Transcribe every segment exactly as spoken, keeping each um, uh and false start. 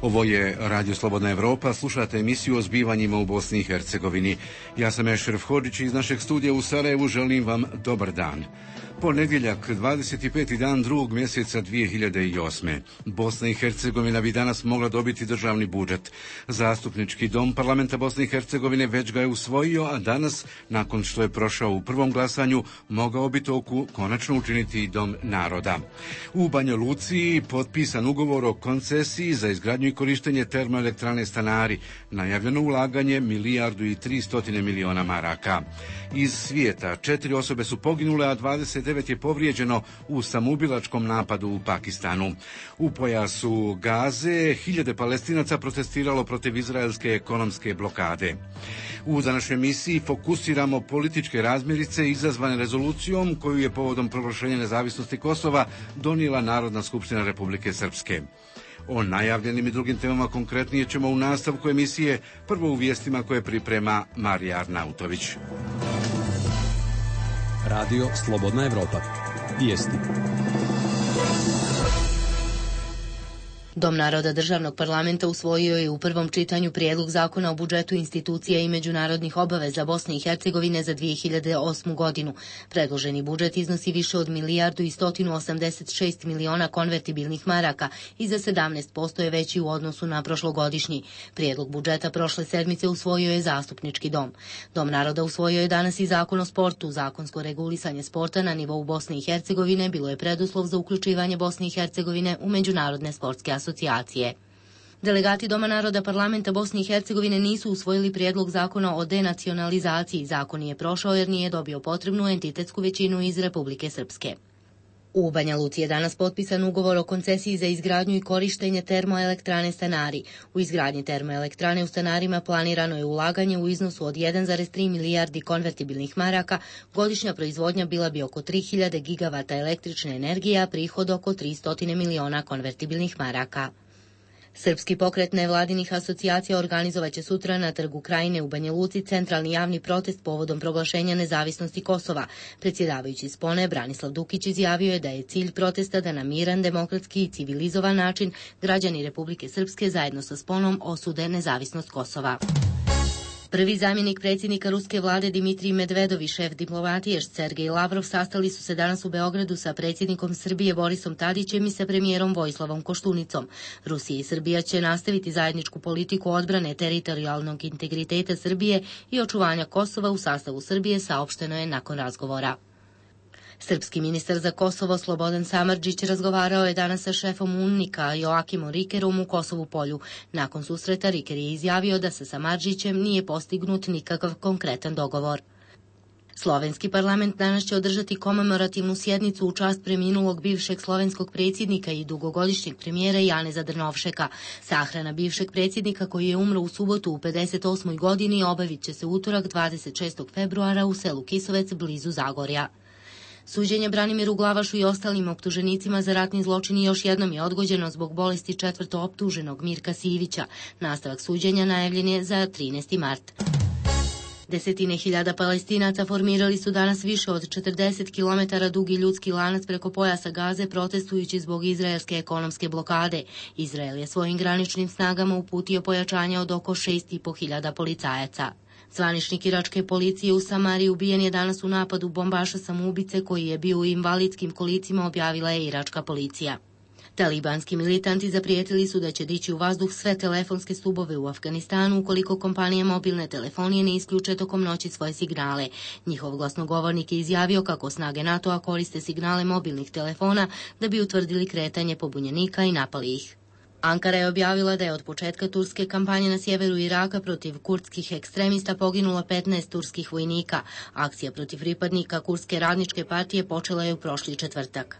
Ovo je Radio Slobodna Evropa, slušate emisiju o zbivanjima u Bosni i Hercegovini. Ja sam Ešref Hodžić iz našeg studija u Sarajevu, želim vam dobar dan. Ponedjeljak, dvadeset peti dan drugog mjeseca dvije hiljade osme. Bosna i Hercegovina bi danas mogla dobiti državni budžet. Zastupnički dom parlamenta Bosne i Hercegovine već ga je usvojio, a danas, nakon što je prošao u prvom glasanju, mogao bi to konačno učiniti i Dom naroda. U Banja Luci potpisan ugovor o koncesiji za izgradnju i korištenje termoelektrane Stanari. Najavljeno ulaganje milijardu i tri stotine miliona maraka. Iz svijeta četiri osobe su poginule, a dvadeset devet je povrijeđeno u samoubilačkom napadu u Pakistanu. U pojasu Gaze hiljade Palestinaca protestiralo protiv izraelske ekonomske blokade. U današnjoj emisiji fokusiramo političke razmirice izazvane rezolucijom koju je povodom proglašenja nezavisnosti Kosova donijela Narodna skupština Republike Srpske. O najavljenim i drugim temama konkretnije ćemo u nastavku emisije, prvo u vijestima koje priprema Marija Arnautović. Radio Slobodna Evropa. Vijesti. Dom naroda državnog parlamenta usvojio je u prvom čitanju prijedlog zakona o budžetu institucija i međunarodnih obaveza Bosne i Hercegovine za dvije hiljade osmu godinu. Predloženi budžet iznosi više od milijardu i stotinu osamdeset šest miliona konvertibilnih maraka i za sedamnaest posto je veći u odnosu na prošlogodišnji. Prijedlog budžeta prošle sedmice usvojio je zastupnički dom. Dom naroda usvojio je danas i zakon o sportu. Zakonsko regulisanje sporta na nivou Bosne i Hercegovine bilo je preduslov za uključivanje Bosne i Hercegovine u međunarodne sportske asocijacije. Delegati Doma naroda parlamenta Bosne i Hercegovine nisu usvojili prijedlog zakona o denacionalizaciji. Zakon nije prošao jer nije dobio potrebnu entitetsku većinu iz Republike Srpske. U Banja Luci je danas potpisan ugovor o koncesiji za izgradnju i korištenje termoelektrane Stanari. U izgradnji termoelektrane u Stanarima planirano je ulaganje u iznosu od jedan zarez tri milijardi konvertibilnih maraka, godišnja proizvodnja bila bi oko tri hiljade gigavata električne energije, a prihod oko tristo miliona konvertibilnih maraka. Srpski pokret nevladinih asocijacija organizovaće sutra na Trgu Krajine u Banja Luci centralni javni protest povodom proglašenja nezavisnosti Kosova. Predsjedavajući Spone, Branislav Dukić, izjavio je da je cilj protesta da na miran, demokratski i civilizovan način građani Republike Srpske zajedno sa Sponom osude nezavisnost Kosova. Prvi zamjenik predsjednika ruske vlade Dimitrij Medvedov i šef diplomatije Sergej Lavrov sastali su se danas u Beogradu sa predsjednikom Srbije Borisom Tadićem i sa premijerom Vojislavom Koštunicom. Rusija i Srbija će nastaviti zajedničku politiku odbrane teritorijalnog integriteta Srbije i očuvanja Kosova u sastavu Srbije, saopšteno je nakon razgovora. Srpski ministar za Kosovo Slobodan Samardžić razgovarao je danas sa šefom UNMIK-a Joakimom Rikerom u Kosovu Polju. Nakon susreta Riker je izjavio da sa Samardžićem nije postignut nikakav konkretan dogovor. Slovenski parlament danas će održati komemorativnu sjednicu u čast preminulog bivšeg slovenskog predsjednika i dugogodišnjeg premijera Janeza Drnovšeka. Sahrana bivšeg predsjednika koji je umro u subotu u pedeset osmoj godini obavit će se utorak dvadeset šestog februara u selu Kisovec blizu Zagorja. Suđenje Branimiru Glavašu i ostalim optuženicima za ratni zločin još jednom je odgođeno zbog bolesti četvrto optuženog Mirka Sivića. Nastavak suđenja najavljen je za trinaesti mart. Desetine hiljada Palestinaca formirali su danas više od četrdeset kilometara dugi ljudski lanac preko pojasa Gaze protestujući zbog izraelske ekonomske blokade. Izrael je svojim graničnim snagama uputio pojačanje od oko šest i po hiljada policajaca. Zvaničnik iračke policije u Samariji ubijen je danas u napadu bombaša samoubice koji je bio u invalidskim kolicima, objavila je iračka policija. Talibanski militanti zaprijetili su da će dići u vazduh sve telefonske stubove u Afganistanu ukoliko kompanije mobilne telefonije ne isključe tokom noći svoje signale. Njihov glasnogovornik je izjavio kako snage NATO-a koriste signale mobilnih telefona da bi utvrdili kretanje pobunjenika i napali ih. Ankara je objavila da je od početka turske kampanje na sjeveru Iraka protiv kurdskih ekstremista poginulo petnaest turskih vojnika. Akcija protiv pripadnika Kurdske radničke partije počela je u prošli četvrtak.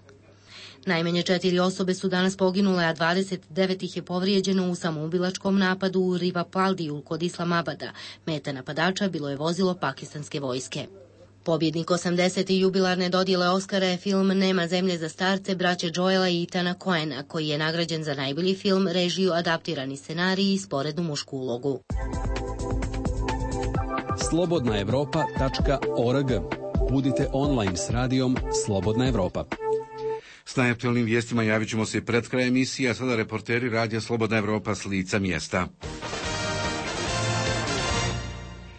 Najmanje četiri osobe su danas poginule, a dvadeset devet ih je povrijeđeno u samoubilačkom napadu u Rivapaldiju kod Islamabada. Meta napadača bilo je vozilo pakistanske vojske. Pobjednik osamdesete jubilarne dodjele Oskara je film Nema zemlje za starce braće Joela i Ethana Coena, koji je nagrađen za najbolji film, režiju, adaptirani scenarij i sporednu mušku ulogu. slobodna evropa tačka org. Budite online s radijom Slobodna Evropa. S najaktualnim vijestima javit ćemo se i pred kraj emisije, a sada reporteri Radija Slobodna Evropa s lica mjesta.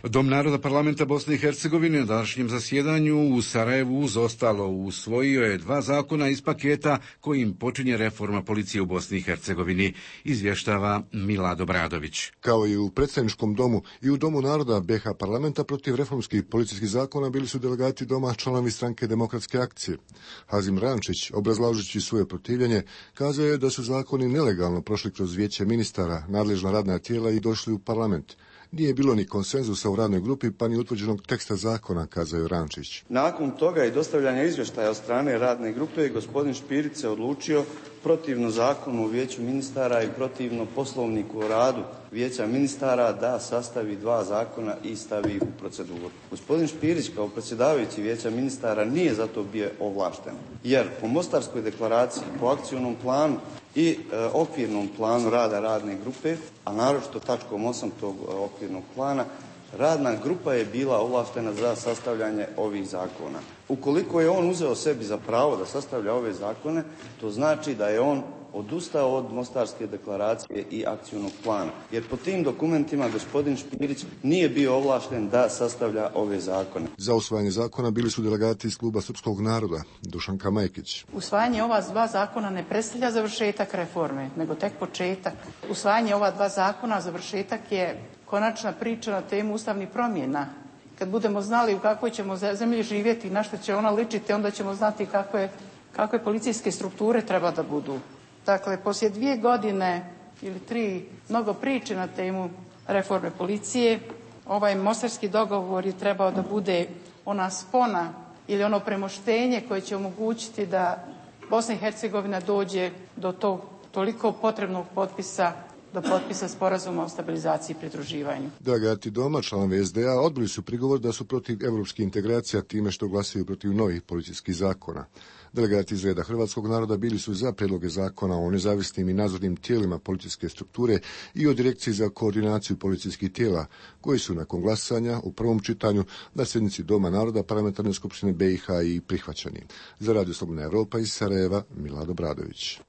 Dom naroda parlamenta Bosne i Hercegovine na današnjem zasjedanju u Sarajevu uz ostalo usvojio je dva zakona iz paketa kojim počinje reforma policije u Bosni i Hercegovini, izvještava Milado Bradović. Kao i u predstavničkom domu i u Domu naroda B H parlamenta protiv reformskih policijskih zakona bili su delegati doma članovi stranke Demokratske akcije. Hazim Rančić, obrazlažući svoje protivljenje, kazao je da su zakoni nelegalno prošli kroz vijeće ministara, nadležna radna tijela i došli u parlament. Nije bilo ni konsenzusa u radnoj grupi, pa ni utvrđenog teksta zakona, kazao je Rančić. Nakon toga i dostavljanja izvještaja od strane radne grupe, gospodin Špirić se odlučio protivno zakonu o vijeću ministara i protivno poslovniku o radu vijeća ministara da sastavi dva zakona i stavi u proceduru. Gospodin Špirić kao predsjedavajući vijeća ministara nije zato bio ovlašten, jer po Mostarskoj deklaraciji, po akcionom planu i e, okvirnom planu rada radne grupe, a naročito tačkom osam tog e, okvirnog plana, radna grupa je bila ovlaštena za sastavljanje ovih zakona. Ukoliko je on uzeo sebi za pravo da sastavlja ove zakone, to znači da je on odustao od Mostarske deklaracije i akcionog plana. Jer po tim dokumentima gospodin Špirić nije bio ovlašten da sastavlja ove zakone. Za usvajanje zakona bili su delegati iz kluba Srpskog naroda, Dušanka Majkić. Usvajanje ova dva zakona ne predstavlja završetak reforme, nego tek početak. Usvajanje ova dva zakona, završetak je konačna priča na temu ustavnih promjena. Kad budemo znali u kakvoj ćemo zemlji živjeti i na što će ona ličiti, onda ćemo znati kakve, kakve policijske strukture treba da budu. Dakle, poslije dvije godine ili tri mnogo priče na temu reforme policije, ovaj mostarski dogovor je trebao da bude ona spona ili ono premoštenje koje će omogućiti da Bosna i Hercegovina dođe do tog toliko potrebnog potpisa, do potpisa sporazuma o stabilizaciji i pridruživanju. Delegati doma, članovi S D A, odbili su prigovor da su protiv evropskih integracija time što glasaju protiv novih policijskih zakona. Delegati iz reda hrvatskog naroda bili su za prijedloge zakona o nezavisnim i nadzornim tijelima policijske strukture i o direkciji za koordinaciju policijskih tijela, koji su nakon glasanja u prvom čitanju na sjednici Doma naroda Parlamentarne skupštine B i H i prihvaćeni. Za Radio Slobodna Evropa iz Sarajeva, Milado Bradović.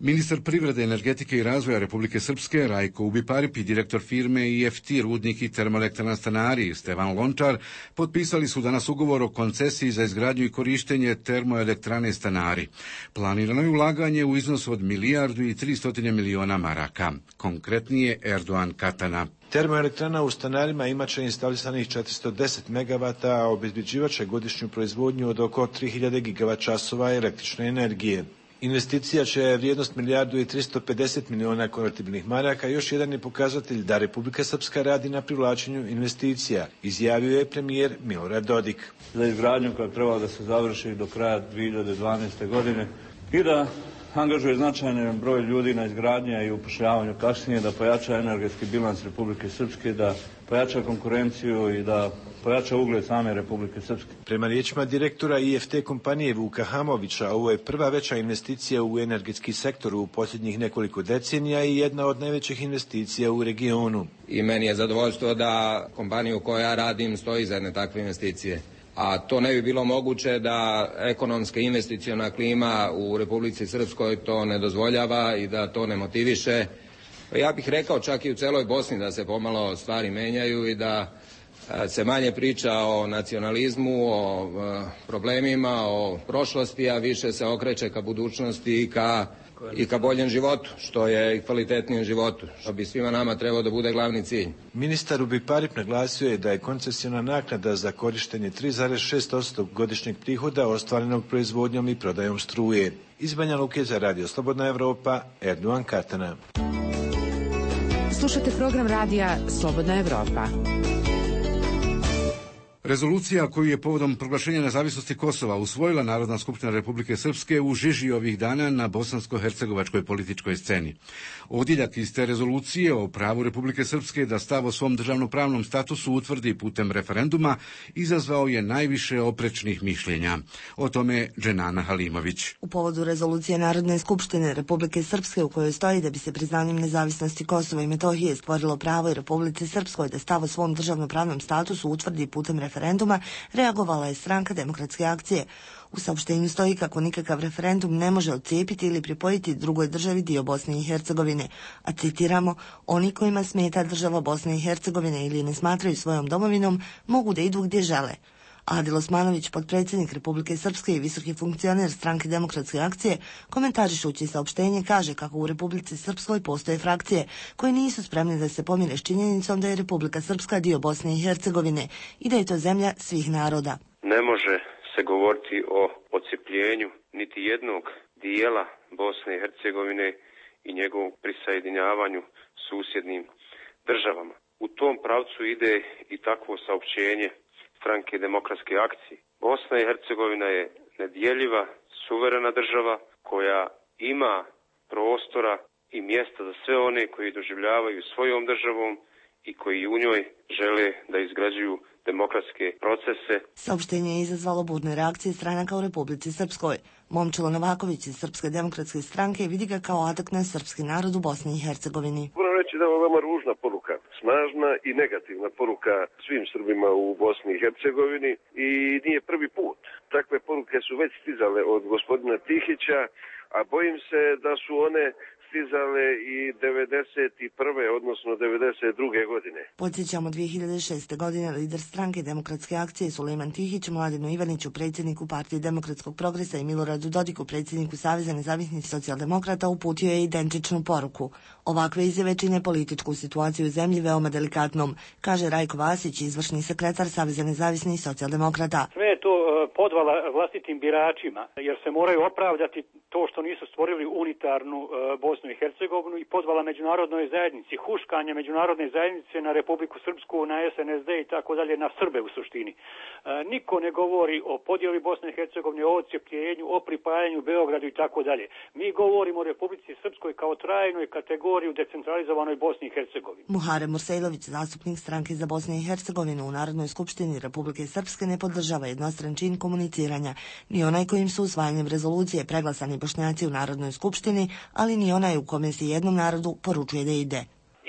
Ministar privrede, energetike i razvoja Republike Srpske Rajko Ubiparipi, direktor firme I F T Rudnik i termoelektrana Stanari Stevan Lončar potpisali su danas ugovor o koncesiji za izgradnju i korištenje termoelektrane Stanari. Planirano je ulaganje u iznosu od milijardu i tristotine miliona maraka. Konkretnije Erdoğan Katana. Termoelektrana u Stanarima imat će instalisanih četiristo deset megavata, a obezbeđivat će godišnju proizvodnju od oko tri hiljade gigavat časova električne energije. Investicija će vrijednost milijardu i tristo pedeset miliona konvertibilnih maraka, još jedan je pokazatelj da Republika Srpska radi na privlačenju investicija, izjavio je premijer Milorad Dodik. Za izgradnju koja treba da se završi do kraja dvije hiljade dvanaeste. godine i da angažuje značajan broj ljudi na izgradnje i upošljavanju kasnije, da pojača energetski bilans Republike Srpske, da pojača konkurenciju i da pojača ugled same Republike Srpske. Prema riječima direktora I F T kompanije Vuka Hamovića, ovo je prva veća investicija u energetski sektor u posljednjih nekoliko decenija i jedna od najvećih investicija u regionu. I meni je zadovoljstvo da kompaniju koja ja radim stoji za jedne takve investicije. A to ne bi bilo moguće da ekonomska investiciona klima u Republici Srpskoj to ne dozvoljava i da to ne motiviše. Ja bih rekao čak i u celoj Bosni da se pomalo stvari menjaju i da se manje priča o nacionalizmu, o problemima, o prošlosti, a više se okreće ka budućnosti i ka, i ka boljem životu, što je i kvalitetnijem životu, što bi svima nama trebao da bude glavni cilj. Ministar Ubiparip naglasio je da je koncesiona naknada za korištenje tri zarez šest posto godišnjeg prihoda ostvarenog proizvodnjom i prodajom struje. Iz Banja Luke za Radio Slobodna Evropa, Erdoğan Katana. Slušate program radija Slobodna Evropa. Rezolucija koju je povodom proglašenja nezavisnosti Kosova usvojila Narodna skupština Republike Srpske u žiži ovih dana na bosansko-hercegovačkoj političkoj sceni. Odjeljak iz te rezolucije o pravu Republike Srpske da stav o svom državnopravnom statusu utvrdi putem referenduma izazvao je najviše oprečnih mišljenja. O tome Dženana Halimović. U povodu rezolucije Narodne skupštine Republike Srpske u kojoj stoji da bi se priznanjem nezavisnosti Kosova i Metohije stvorilo pravo i Republici Srpskoj da stav o svom državnopravnom statusu utvrdi putem referenduma, referenduma, reagovala je Stranka demokratske akcije. U saopštenju stoji kako nikakav referendum ne može odcijepiti ili pripojiti drugoj državi dio Bosne i Hercegovine, a citiramo, oni kojima smeta država Bosne i Hercegovine ili ne smatraju svojom domovinom, mogu da idu gdje žele. Adil Osmanović, potpredsjednik Republike Srpske i visoki funkcioner Stranke demokratske akcije, komentarišući saopštenje kaže kako u Republici Srpskoj postoje frakcije koje nisu spremne da se pomire s činjenicom da je Republika Srpska dio Bosne i Hercegovine i da je to zemlja svih naroda. Ne može se govoriti o odcijepljenju niti jednog dijela Bosne i Hercegovine i njegovom prisajedinjavanju susjednim državama. U tom pravcu ide i takvo saopćenje Stranke demokratske akcije. Bosna i Hercegovina je nedjeljiva, suverena država koja ima prostora i mjesta za sve one koji doživljavaju svojom državom i koji u njoj žele da izgrađuju demokratske procese. Saopštenje je izazvalo burne reakcije stranaka u Republici Srpskoj. Momčilo Novaković iz Srpske demokratske stranke vidi ga kao atak na srpski narod u Bosni i Hercegovini. Moram reći da je ovo veoma ružna poruka, snažna i negativna poruka svim Srbima u Bosni i Hercegovini i nije prvi put. Takve poruke su već stizale od gospodina Tihića, a bojim se da su one stizale i devedeset prve odnosno devedeset druge godine. Podsjećamo, dvije hiljade šeste. godine lider Stranke demokratske akcije Sulejman Tihić Mladenu Ivaniću, predsjedniku Partije demokratskog progresa, i Miloradu Dodiku, predsjedniku Saveza nezavisnih socijaldemokrata, uputio je identičnu poruku. Ovakve izjave čine političku situaciju u zemlji veoma delikatnom, kaže Rajko Vasić, izvršni sekretar Saveza nezavisnih socijaldemokrata. Sve je to podvala vlastitim biračima, jer se moraju opravdati to što nisu stvorili unitarnu uh, Bosnu i Hercegovinu i podvala međunarodnoj zajednici, huškanje međunarodne zajednice na Republiku Srpsku, na S N S D i tako dalje, na Srbe u suštini. Uh, niko ne govori o podjeli Bosne i Hercegovine, o odcijepljenju, o pripajanju Beogradu i tako dalje. Mi govorimo o Republici Srpskoj kao trajnoj kategoriji u decentralizovanoj Bosni i Hercegovini. Muharem Mursejlović, zastupnik Stranke za Bosnu i Hercegovinu u Narodnoj skupštini Republike Srpske, ne podržava jednostran čin komuniciranja, ni onaj kojim su usvajanjem rezolucije preglasani Bošnjaci u Narodnoj skupštini, ali ni onaj u kome se jednom narodu poručuje da ide.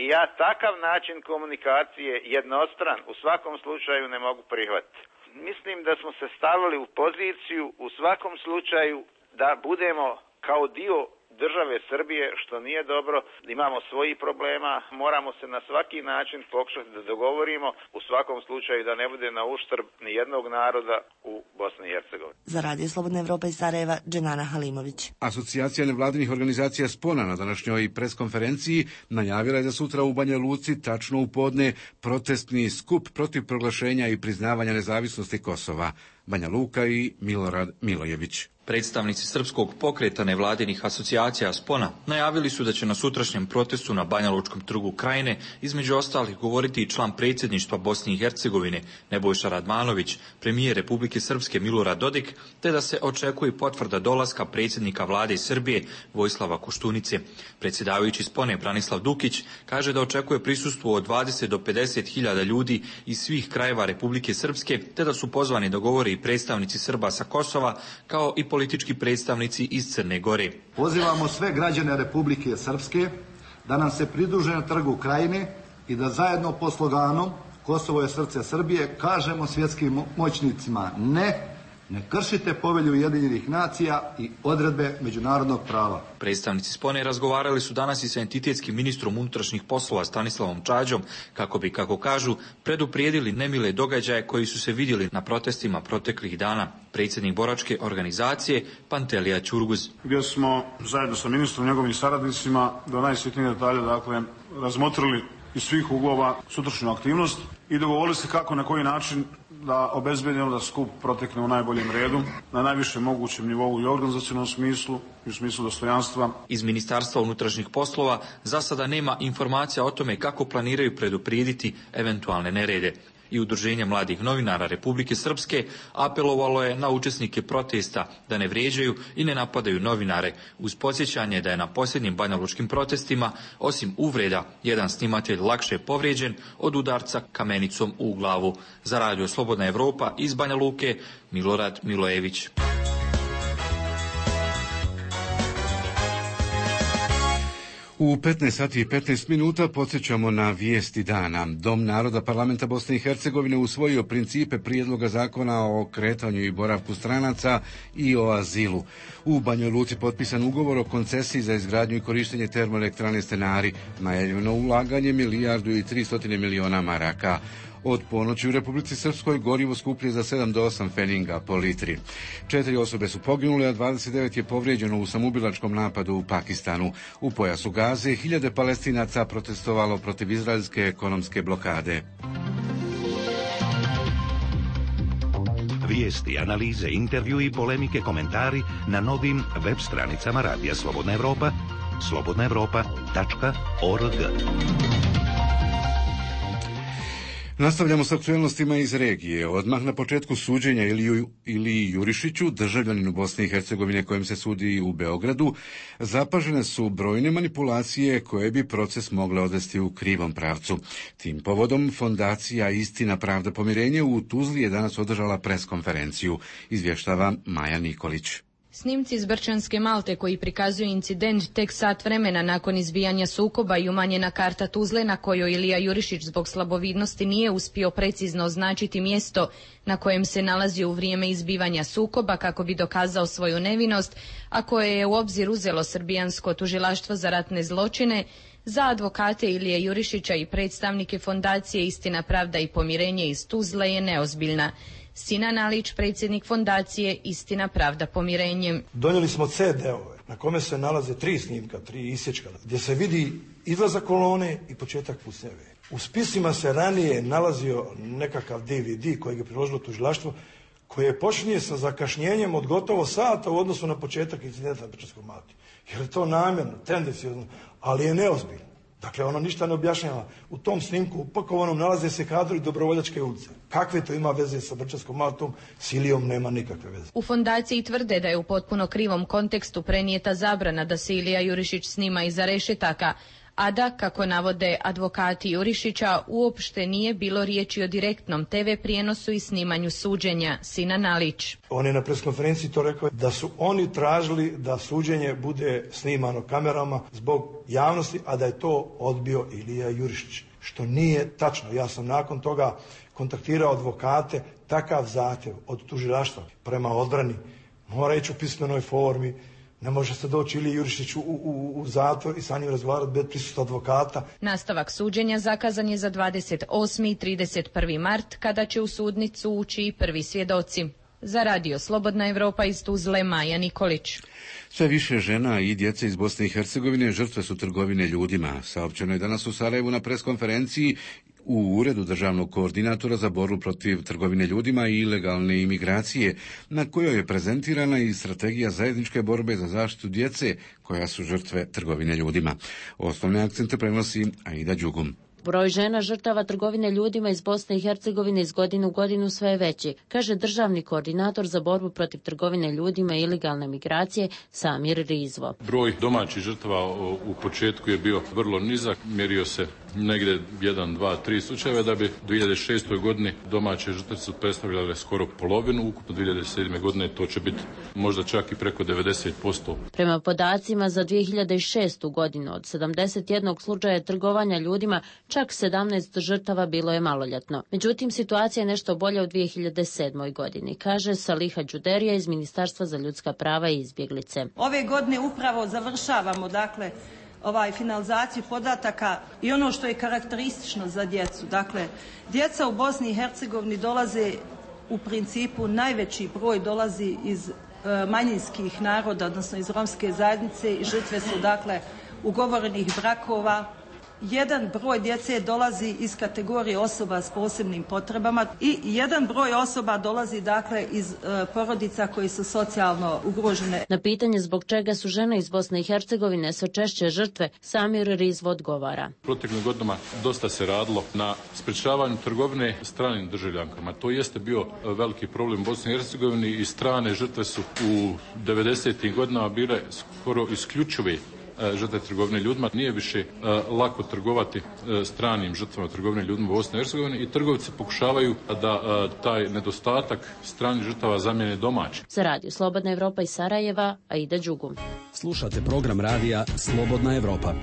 I ja takav način komunikacije jednostran u svakom slučaju ne mogu prihvatiti. Mislim da smo se stavili u poziciju u svakom slučaju da budemo kao dio države Srbije, što nije dobro, imamo svojih problema, moramo se na svaki način pokušati da dogovorimo, u svakom slučaju da ne bude na uštrb ni jednog naroda u Bosni i Hercegovini. Za Radio Slobodna Evropa iz Sarajeva, Dženana Halimović. Asocijacija nevladinih organizacija Spona na današnjoj preskonferenciji najavila je za sutra u Banja Luci tačno u podne protestni skup protiv proglašenja i priznavanja nezavisnosti Kosova. Banja Luka i Milorad Milojević. Predstavnici Srpskog pokreta nevladinih asocijacija Spona najavili su da će na sutrašnjem protestu na Banja Lučkom trgu Krajine između ostalih govoriti i član predsjedništva Bosne i Hercegovine Nebojša Radmanović, premijer Republike Srpske Milorad Dodik, te da se očekuje potvrda dolaska predsjednika vlade Srbije Vojislava Koštunice. Predsjedavajući Spone Branislav Dukić kaže da očekuje prisustvo od dvadeset do pedeset hiljada ljudi iz svih krajeva Republike Srpske, te da su pozvani da govore i predstavnici Srba sa Kosova, kao i politički predstavnici iz Crne Gore. Pozivamo sve građane Republike Srpske da nam se pridruže na trgu Krajine i da zajedno po sloganu Kosovo je srce Srbije kažemo svjetskim moćnicima ne, ne kršite povelju Ujedinjenih nacija i odredbe međunarodnog prava. Predstavnici Spone razgovarali su danas i sa entitetskim ministrom unutrašnjih poslova Stanislavom Čađom kako bi, kako kažu, preduprijedili nemile događaje koji su se vidjeli na protestima proteklih dana. Predsjednik boračke organizacije Pantelija Ćurguz. Gdje smo zajedno sa ministrom i njegovim saradnicima do najsitnijih detalja dakle razmotrili iz svih uglova sutrašnju aktivnost i dogovorili se kako, na koji način da obezbedimo da skup protekne u najboljem redu, na najvišem mogućem nivou i organizacionalnom smislu i u smislu dostojanstva. Iz Ministarstva unutrašnjih poslova za sada nema informacija o tome kako planiraju preduprijediti eventualne nerede. I Udruženje mladih novinara Republike Srpske apelovalo je na učesnike protesta da ne vrijeđaju i ne napadaju novinare, uz podsjećanje da je na posljednjim banjalučkim protestima, osim uvreda, jedan snimatelj lakše povrijeđen od udarca kamenicom u glavu. Za Radio Slobodna Evropa iz Banja Luke, Milorad Milojević. U petnaest sati i petnaest minuta podsjećamo na vijesti dana. Dom naroda Parlamenta Bosne i Hercegovine usvojio principe prijedloga zakona o kretanju i boravku stranaca i o azilu. U Banjoj Luci potpisan ugovor o koncesiji za izgradnju i korištenje termoelektrane Stenari, najavljeno ulaganje milijardu i tristotine miliona maraka. Od ponoći u Republici Srpskoj gorivo skuplje za sedam do osam feninga po litri. Četiri osobe su poginule, a dvadeset devet je povrijeđeno u samoubilačkom napadu u Pakistanu. U pojasu Gaze hiljade Palestinaca protestovalo protiv izraelske ekonomske blokade. Vijesti, analize, intervju i polemike, komentari na novim web stranicama Radija Slobodna Evropa, slobodna evropa tačka org. Nastavljamo s aktualnostima iz regije. Odmah na početku suđenja Iliju, Iliji Jurišiću, državljaninu Bosne i Hercegovine kojem se sudi u Beogradu, zapažene su brojne manipulacije koje bi proces mogle odvesti u krivom pravcu. Tim povodom Fondacija Istina, pravda, pomirenje u Tuzli je danas održala preskonferenciju, izvještava Maja Nikolić. Snimci iz Brčanske Malte koji prikazuju incident tek sat vremena nakon izbijanja sukoba i umanjena karta Tuzle na kojoj Ilija Jurišić zbog slabovidnosti nije uspio precizno označiti mjesto na kojem se nalazio u vrijeme izbivanja sukoba kako bi dokazao svoju nevinost, a koje je u obzir uzelo srbijansko tužilaštvo za ratne zločine, za advokate Ilije Jurišića i predstavnike Fondacije Istina, pravda i pomirenje iz Tuzle je neozbiljna. Sinan Alić, predsjednik Fondacije Istina, pravda, pomirenje. Donijeli smo ce de-ove na kome se nalaze tri snimka, tri isječka, gdje se vidi izlazak kolone i početak pucnjave. U spisima se ranije nalazio nekakav de ve de kojeg je priložilo tužilaštvo, koje počinje sa zakašnjenjem od gotovo sata u odnosu na početak incidenta na Brčanskoj Malti. Jer je to namjerno, tendencijozno, ali je neozbiljno. Dakle, ono ništa ne objašnjava. U tom snimku upakovanom nalaze se kadrovi Dobrovoljačke ulice. Kakve to ima veze sa Brčanskom Maltom? S Ilijom nema nikakve veze. U Fondaciji tvrde da je u potpuno krivom kontekstu prenijeta zabrana da se Ilija Jurišić snima iza rešetaka, a da, kako navode advokati Jurišića, uopšte nije bilo riječi o direktnom te ve prijenosu i snimanju suđenja. Sinan Alić. On je na preskonferenciji to rekao da su oni tražili da suđenje bude snimano kamerama zbog javnosti, a da je to odbio Ilija Jurišić. Što nije tačno. Ja sam nakon toga kontaktirao advokate, takav zahtjev od tužilaštva prema odbrani mora ići u pismenoj formi. Ne može se doći Iliji Jurišiću u, u, u zatvor i sa njim razgovarati bez prisustva advokata. Nastavak suđenja zakazan je za dvadeset osmi i trideset prvi mart, kada će u sudnicu ući i prvi svjedoci. Za Radio Slobodna Evropa iz Tuzle, Maja Nikolić. Sve više žena i djece iz Bosne i Hercegovine žrtve su trgovine ljudima. Saopćeno je danas u Sarajevu na preskonferenciji u Uredu državnog koordinatora za borbu protiv trgovine ljudima i ilegalne imigracije, na kojoj je prezentirana i strategija zajedničke borbe za zaštitu djece koja su žrtve trgovine ljudima. Osnovne akcente prenosi Aida Đugum. Broj žena žrtava trgovine ljudima iz Bosne i Hercegovine iz godine u godinu sve je veći, kaže državni koordinator za borbu protiv trgovine ljudima i ilegalne migracije Samir Rizvo. Broj domaćih žrtava u početku je bio vrlo nizak, mjerio se negdje jedan, dva, tri slučajeva, da bi u dvije hiljade šestoj godini domaće žrtve su predstavljale skoro polovinu, ukupno dvije hiljade sedme godine to će biti možda čak i preko devedeset posto. Prema podacima za dvije hiljade šestu godinu od sedamdeset jednog slučaja trgovanja ljudima, čak sedamnaest žrtava bilo je maloljetno. Međutim, situacija je nešto bolja u dvije hiljade sedmoj godini, kaže Saliha Đuderija iz Ministarstva za ljudska prava i izbjeglice. Ove godine upravo završavamo, dakle, ovaj finalizaciju podataka i ono što je karakteristično za djecu. Dakle, djeca u Bosni i Hercegovini dolaze u principu, najveći broj dolazi iz e, manjinskih naroda, odnosno iz romske zajednice i žrtve su, dakle, ugovorenih brakova. Jedan broj djece dolazi iz kategorije osoba s posebnim potrebama i jedan broj osoba dolazi, dakle, iz e, porodica koji su socijalno ugrožene. Na pitanje zbog čega su žene iz Bosne i Hercegovine sve češće žrtve, Samir Rizvo odgovara. Proteklim godinama dosta se radilo na sprečavanju trgovine stranim državljankama. To jeste bio veliki problem u Bosni i Hercegovini i strane žrtve su u devedesetim godinama bile skoro isključive žrtve trgovine ljudima. Nije više uh, lako trgovati uh, stranim žrtvama trgovine ljudima u Bosni i Hercegovini i trgovci pokušavaju da uh, taj nedostatak stranih žrtava zamijene domaći. Za Radio Slobodna Evropa iz Sarajeva, Aida Đugum. Slušate program radija Slobodna Evropa.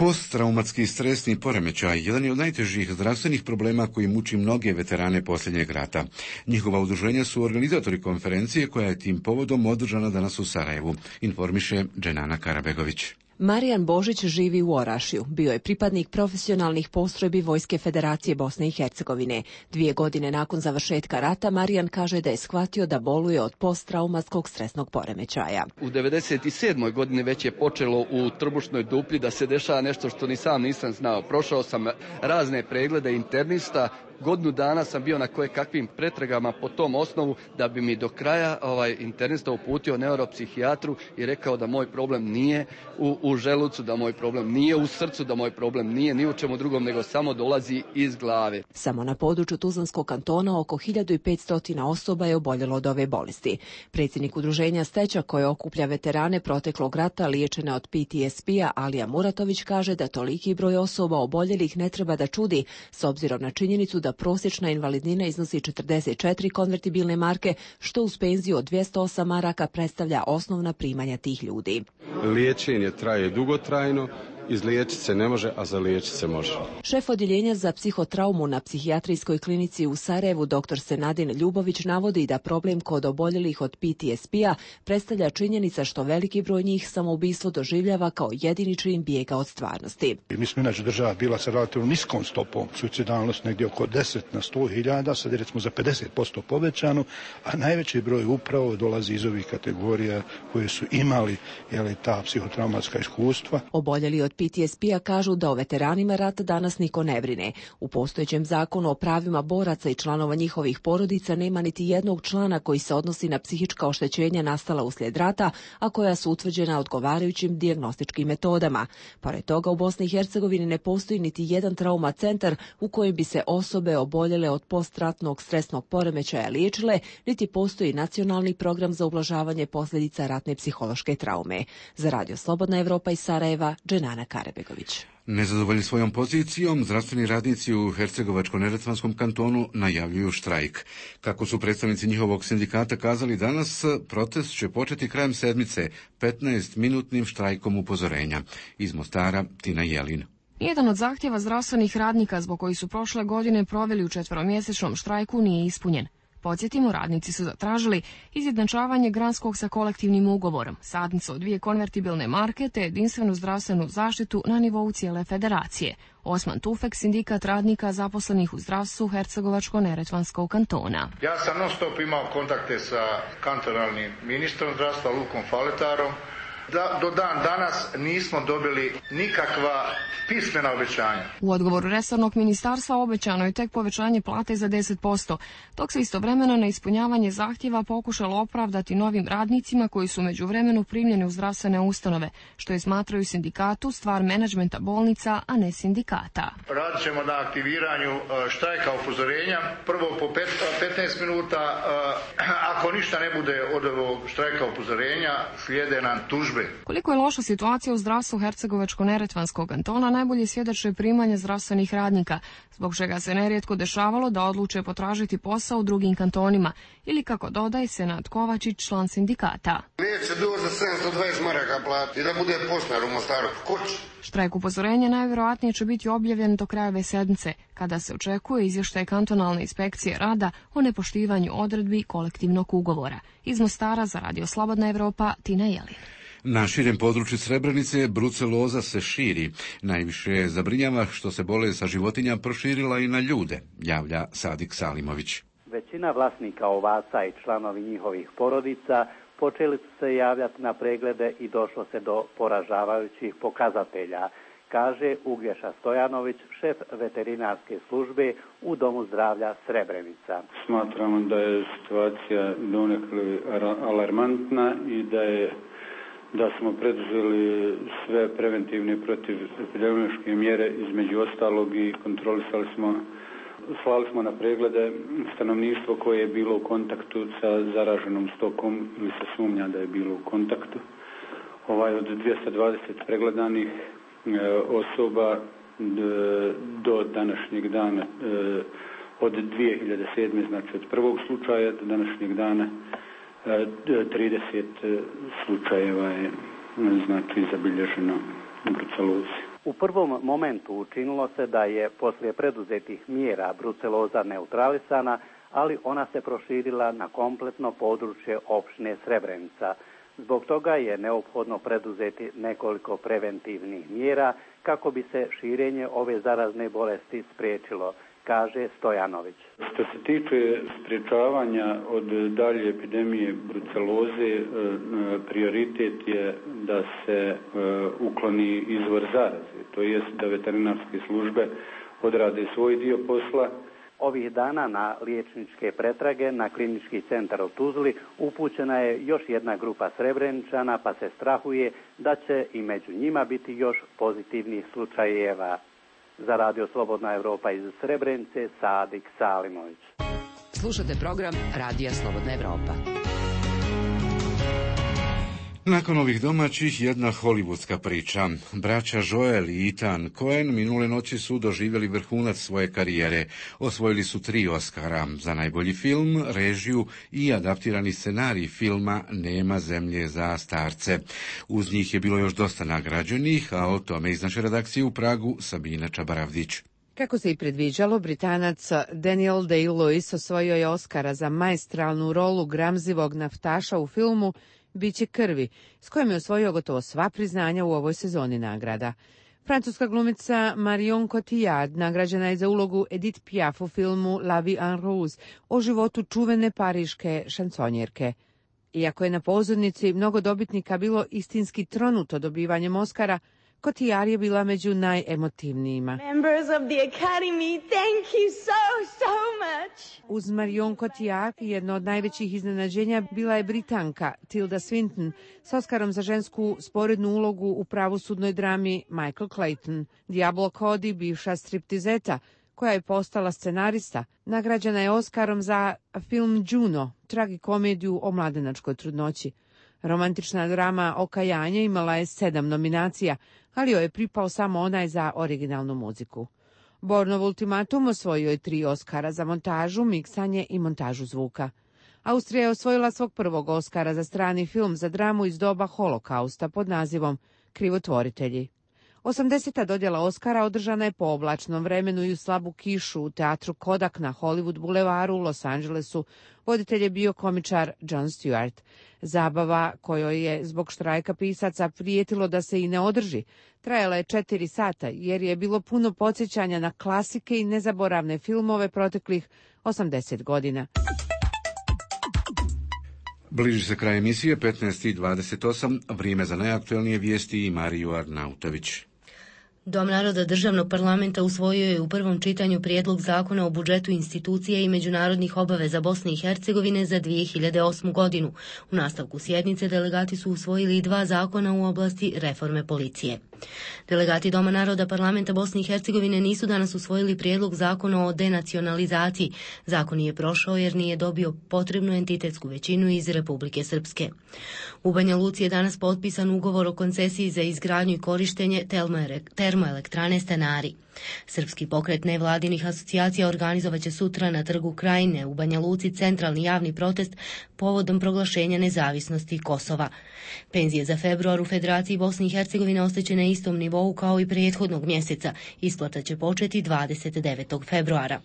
Posttraumatski stresni poremećaj jedan je od najtežih zdravstvenih problema koji muči mnoge veterane posljednjeg rata. Njihova udruženja su organizatori konferencije koja je tim povodom održana danas u Sarajevu, informiše Dženana Karabegović. Marijan Božić živi u Orašju. Bio je pripadnik profesionalnih postrojbi Vojske Federacije Bosne i Hercegovine. Dvije godine nakon završetka rata Marijan kaže da je shvatio da boluje od posttraumatskog stresnog poremećaja. U devedeset sedmoj godini već je počelo u trbušnoj duplji da se dešava nešto što ni sam nisam znao. Prošao sam razne preglede internista. Godinu dana sam bio na koje kakvim pretragama po tom osnovu da bi mi do kraja ovaj internista uputio neuropsihijatru i rekao da moj problem nije u, u želucu, da moj problem nije u srcu, da moj problem nije ni u čemu drugom, nego samo dolazi iz glave. Samo na području Tuzlanskog kantona oko hiljadu petsto osoba je oboljelo od ove bolesti. Predsjednik udruženja Steća koje okuplja veterane proteklog rata liječene od P T S P-a Alija Muratović kaže da toliki broj osoba oboljelih ne treba da čudi s obzirom na činjenicu da prosječna invalidnina iznosi četrdeset četiri konvertibilne marke, što uz penziju od dvjesto osam maraka predstavlja osnovna primanja tih ljudi. Liječenje traje dugotrajno, izliječiti se ne može, a zaliječiti se može. Šef odjeljenja za psihotraumu na psihijatrijskoj klinici u Sarajevu dr Senadin Ljubović navodi da problem kod oboljelih od P T S P-a predstavlja činjenica što veliki broj njih samoubistvo doživljava kao jedini čin bijega od stvarnosti. Mi smo inače država bila sa relativno niskom stopom suicidalnost negdje oko deset na sto hiljada, sad je recimo za pedeset posto povećano, a najveći broj upravo dolazi iz ovih kategorija koje su imali jeli, ta psihotraumatska iskustva. Oboljeli od P T S P-a kažu da o veteranima rata danas niko ne brine. U postojećem zakonu o pravima boraca i članova njihovih porodica nema niti jednog člana koji se odnosi na psihička oštećenja nastala uslijed rata, a koja su utvrđena odgovarajućim dijagnostičkim metodama. Pored toga u Bosni i Hercegovini ne postoji niti jedan trauma centar u kojem bi se osobe oboljele od postratnog stresnog poremećaja liječile, niti postoji nacionalni program za ublažavanje posljedica ratne psihološke traume. Za Radio Slobodna Evropa iz Sarajeva, Dženana Karabegović. Nezadovoljni svojom pozicijom, zdravstveni radnici u Hercegovačko-neretvanskom kantonu najavljuju štrajk. Kako su predstavnici njihovog sindikata kazali danas, protest će početi krajem sedmice, petnaestminutnim štrajkom upozorenja. Iz Mostara, Tina Jelin. Jedan od zahtjeva zdravstvenih radnika zbog koji su prošle godine proveli u četveromjesečnom štrajku nije ispunjen. Podsjetimo, radnici su zatražili izjednačavanje granskog sa kolektivnim ugovorom, sadnicu od dvije konvertibilne marke te jedinstvenu zdravstvenu zaštitu na nivou cijele federacije. Osman Tufek, sindikat radnika zaposlenih u zdravstvu Hercegovačko-neretvanskog kantona. Ja sam non stop imao kontakte sa kantonalnim ministrom zdravstva Lukom Faletarom. Da, do dan danas nismo dobili nikakva pismena obećanja. U odgovoru resornog ministarstva obećano je tek povećanje plate za deset posto, dok se istovremeno na ispunjavanje zahtjeva pokušalo opravdati novim radnicima koji su međuvremenu primljeni u zdravstvene ustanove, što je smatraju sindikatu stvar menadžmenta bolnica, a ne sindikata. Radit ćemo na aktiviranju štrajka upozorenja, prvo po petnaest minuta, ako ništa ne bude od ovog štrajka upozorenja, slijede nam tužbe. Koliko je loša situacija u zdravstvu Hercegovačko-neretvanskog kantona najbolje svjedoče primanje zdravstvenih radnika, zbog čega se nerijetko dešavalo da odluče potražiti posao u drugim kantonima, ili kako dodaje Senad Kovačić, član sindikata. Neće doći za sedamsto dvadeset maraka plati da bude poštar u Mostaru. Koč? Štrajk upozorenja najvjerojatnije će biti objavljen do kraja ove sedmice, kada se očekuje izvještaj kantonalne inspekcije rada o nepoštivanju odredbi kolektivnog ugovora. Iz Mostara za Radio Slobodna Evropa, Tina Jelin. Na širem području Srebrenice bruceloza se širi. Najviše zabrinjava što se bolest sa životinja proširila i na ljude, javlja Sadik Salimović. Većina vlasnika ovaca i članovi njihovih porodica počeli su se javljati na preglede i došlo se do poražavajućih pokazatelja, kaže Uglješa Stojanović, šef veterinarske službe u Domu zdravlja Srebrenica. Smatramo da je situacija donekle alarmantna i da je da smo preduzeli sve preventivne protivepidemiološke mjere, između ostalog i kontrolisali smo, slali smo na preglede stanovništvo koje je bilo u kontaktu sa zaraženom stokom ili se sumnja da je bilo u kontaktu. Ovaj od dvjesto dvadeset pregledanih e, osoba d, do današnjeg dana, e, od dvije hiljade sedme. znači od prvog slučaja do današnjeg dana, trideset slučajeva je znači zabilježeno u brucelozi. U prvom momentu učinilo se da je poslije preduzetih mjera bruceloza neutralisana, ali ona se proširila na kompletno područje opštine Srebrenica. Zbog toga je neophodno preduzeti nekoliko preventivnih mjera kako bi se širenje ove zarazne bolesti spriječilo, kaže Stojanović. Što se tiče sprječavanja od dalje epidemije bruceloze, prioritet je da se ukloni izvor zaraze, to jest da veterinarske službe odrade svoj dio posla. Ovih dana na liječničke pretrage na klinički centar u Tuzli upućena je još jedna grupa Srebreničana, pa se strahuje da će i među njima biti još pozitivnih slučajeva. Za Radio Slobodna Evropa iz Srebrenice, Sadik Salimović. Slušate program Radija Slobodna Evropa. Nakon ovih domaćih, jedna hollywoodska priča. Braća Joel i Ethan Coen minule noći su doživjeli vrhunac svoje karijere. Osvojili su tri Oscara za najbolji film, režiju i adaptirani scenarij filma Nema zemlje za starce. Uz njih je bilo još dosta nagrađenih, a o tome iz naše redakcije u Pragu Sabina Čabaravdić. Kako se i predviđalo, Britanac Daniel Day-Lewis osvojio je Oscara za maestralnu rolu gramzivog naftaša u filmu Biće krvi, s kojom je osvojio gotovo sva priznanja u ovoj sezoni nagrada. Francuska glumica Marion Cotillard nagrađena je za ulogu Edith Piaf u filmu La vie en rose o životu čuvene pariške šansonjerke. Iako je na pozornici mnogo dobitnika bilo istinski tronuto dobivanjem Oscara, Cotillard je bila među najemotivnijima. Members of the Academy, thank you so, so much. Uz Marion Cotillard jedno od najvećih iznenađenja bila je Britanka Tilda Swinton s Oskarom za žensku sporednu ulogu u pravosudnoj drami Michael Clayton. Diablo Cody, bivša striptizeta, koja je postala scenarista, nagrađena je Oskarom za film Juno, tragikomediju o mladenačkoj trudnoći. Romantična drama Okajanje imala je sedam nominacija, ali joj je pripao samo onaj za originalnu muziku. Bornov ultimatum osvojio je tri Oskara za montažu, miksanje i montažu zvuka. Austrija je osvojila svog prvog Oskara za strani film za dramu iz doba holokausta pod nazivom Krivotvoritelji. osamdeseta dodjela Oskara održana je po oblačnom vremenu i u slabu kišu u teatru Kodak na Hollywood bulevaru u Los Angelesu. Voditelj je bio komičar Jon Stewart. Zabava, kojoj je zbog štrajka pisaca prijetilo da se i ne održi, trajala je četiri sata jer je bilo puno podsjećanja na klasike i nezaboravne filmove proteklih osamdeset godina. Bliži se kraj emisije, petnaest i dvadeset osam, vrijeme za najaktualnije vijesti i Mariju Arnautović. Dom naroda državnog parlamenta usvojio je u prvom čitanju prijedlog zakona o budžetu institucije i međunarodnih obaveza Bosne i Hercegovine za dvije hiljade osmu godinu. U nastavku sjednice delegati su usvojili i dva zakona u oblasti reforme policije. Delegati Doma naroda parlamenta Bosne i Hercegovine nisu danas usvojili prijedlog zakona o denacionalizaciji. Zakon nije prošao jer nije dobio potrebnu entitetsku većinu iz Republike Srpske. U Banja Luci je danas potpisan ugovor o koncesiji za izgradnju i korištenje termoelektrane Stanari. Srpski pokret nevladinih asocijacija organizovaće sutra na Trgu Krajine u Banja Luci centralni javni protest povodom proglašenja nezavisnosti Kosova. Penzije za februar u Federaciji Bosne i Hercegovine ostaće na istom nivou kao i prethodnog mjeseca. Isplata će početi dvadeset devetog februara.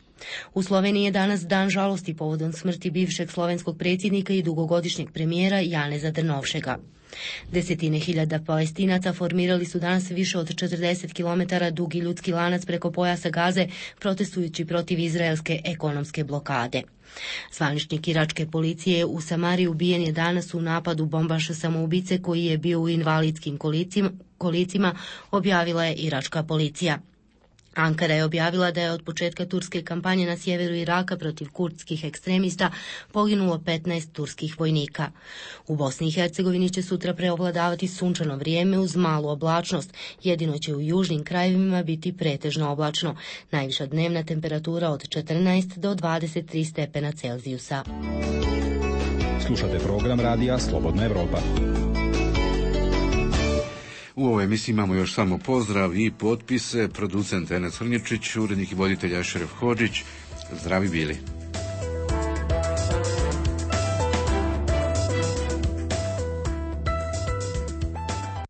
U Sloveniji je danas dan žalosti povodom smrti bivšeg slovenskog predsjednika i dugogodišnjeg premijera Janeza Drnovšeka. Desetine hiljada Palestinaca formirali su danas više od četrdeset kilometara dugi ljudski lanac preko pojasa Gaze, protestujući protiv izraelske ekonomske blokade. Zvaničnik iračke policije u Samariji ubijen je danas u napadu bombaša samoubice koji je bio u invalidskim kolicima, kolicima, objavila je iračka policija. Ankara je objavila da je od početka turske kampanje na sjeveru Iraka protiv kurdskih ekstremista poginulo petnaest turskih vojnika. U Bosni i Hercegovini će sutra preovladavati sunčano vrijeme uz malu oblačnost. Jedino će u južnim krajevima biti pretežno oblačno. Najviša dnevna temperatura od četrnaest do dvadeset tri stepena Celzijusa. Slušate program radija Slobodna Evropa. U ovoj emisiji imamo još samo pozdrav i potpise. Producent Enes Hrnječić, urednik i voditelj Ašref Hodžić. Zdravi bili.